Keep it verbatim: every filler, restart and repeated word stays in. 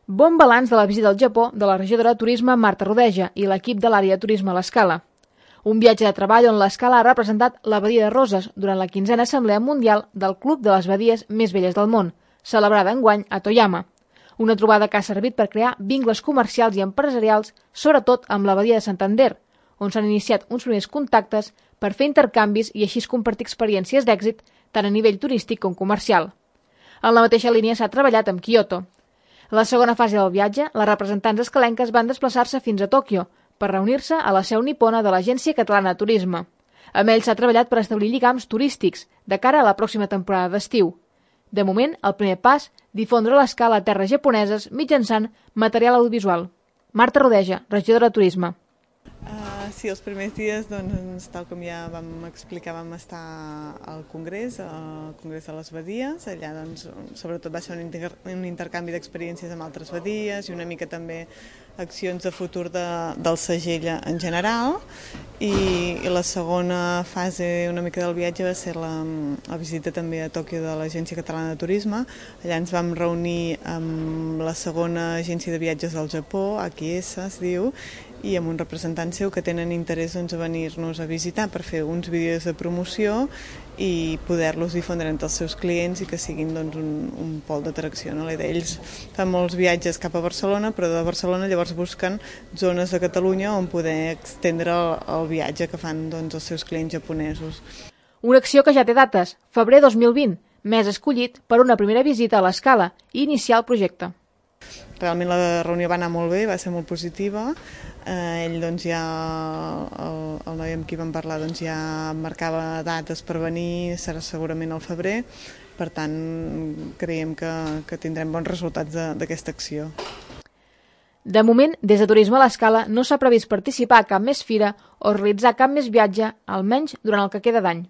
Bon balanç de la visita al Japó de la regidora de Turisme Marta Rodeja i l'equip de l'àrea de turisme a l'Escala. Un viatge de treball on l'Escala ha representat la Badia de Roses durant la quinzena Assemblea Mundial del Club de les Badies més belles del món, celebrada enguany a Toyama. Una trobada que ha servit per crear vincles comercials i empresarials, sobretot amb la Badia de Santander, on s'han iniciat uns primers contactes per fer intercanvis i així compartir experiències d'èxit tant a nivell turístic com comercial. En la mateixa línia s'ha treballat amb Kyoto. A la segona fase del viatge, les representants escalenques van desplaçar-se fins a Tòquio per reunir-se a la seu nipona de l'Agència Catalana de Turisme. Amb ells s'ha treballat per establir lligams turístics de cara a la pròxima temporada d'estiu. De moment, el primer pas, difondre l'Escala a terres japoneses mitjançant material audiovisual. Marta Rodeja, regidora de Turisme. Uh, sí, els primers dies, doncs, tal com ja vam explicar, vam estar al Congrés, al Congrés de les Badies. Allà, doncs, sobretot va ser un, inter un intercanvi d'experiències amb altres badies i una mica també accions de futur de, del segell en general. I, i la segona fase una mica del viatge va ser la, la visita també a Tòquio de l'Agència Catalana de Turisme. Allà ens vam reunir amb la segona agència de viatges del Japó, A K S es diu, i amb un representant seu que tenen interès doncs, a venir-nos a visitar per fer uns vídeos de promoció i poder-los difondre entre els seus clients i que siguin doncs, un, un pol d'atracció. No? Ells fan molts viatges cap a Barcelona, però de Barcelona llavors busquen zones de Catalunya on poder extendre el, el viatge que fan doncs, els seus clients japonesos. Una acció que ja té dates, febrer dos mil vint, mes escollit per una primera visita a l'Escala i iniciar el projecte. Realment la reunió va anar molt bé, va ser molt positiva. Eh, ell doncs ja, el, el noi amb qui vam parlar doncs ja marcava dates per venir, serà segurament al febrer, per tant creiem que, que tindrem bons resultats d'aquesta acció. De moment, des de Turisme a l'Escala no s'ha previst participar a cap més fira o realitzar cap més viatge, almenys durant el que queda d'any.